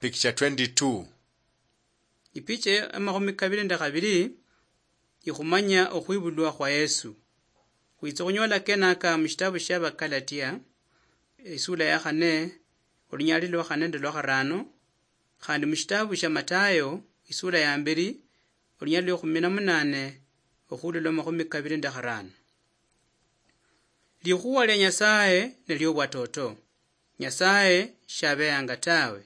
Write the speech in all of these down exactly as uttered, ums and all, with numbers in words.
Picture twenty-two. Ipicha ya makhumi kabili nende khabili ikhumanya okhwibulwa khwa Yesu. Khwitsa khunyola kenaka mushitabu shia Bakalatia, isula ya khane, olunyali lwa khane nende lwa kharano, khandi mushitabu shia Matayo, isula ya mbili, olunyali lwa khumi na munane, okhulula makhumi kabili nende kharano. Likhuwa lia Nyasaye nelio bwatoto. Nyasaye shabeyanga tawe.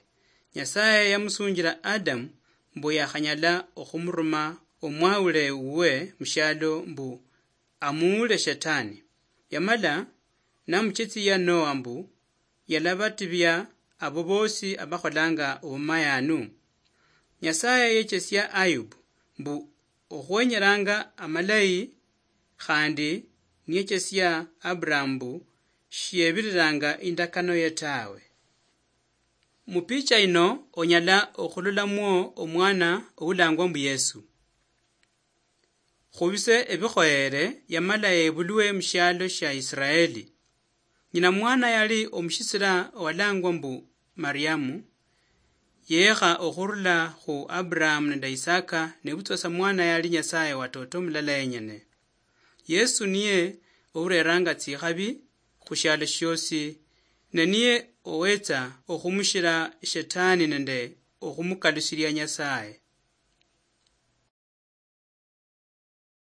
Nyasaye yamusunjila Adamu mbu yakhanyala okhumuruma omwawule wuwe mushialo mbu amuule Shetani. Yamala namuchesia Noa mbu yalabatibia abo bosi abakholanga obumayanu. Nyasaye yechesia Ayubu mbu okhwenyeranga amalayi, khandi niyechesia Aburahamu mbu shiyebiriranga indakano ye tawe. Mupicha ino onyala okhulolamwo omwana oulangwa mbu Yesu. Khubise ebikhoyere yamala yebulwe mushialo shia Israeli. Nyina mwana yali omushisila owalangwa mbu Mariamu, yekha okhurula khu Aburahamu nende Isaka, nebutswa sa mwana yali Nyasaye watoto mulala yenyene. Yesu niye oureranga tsikhabi khushialo shiosi, ne niye owetsa okhumushira Shetani nende okhumukalushilia Nyasaye.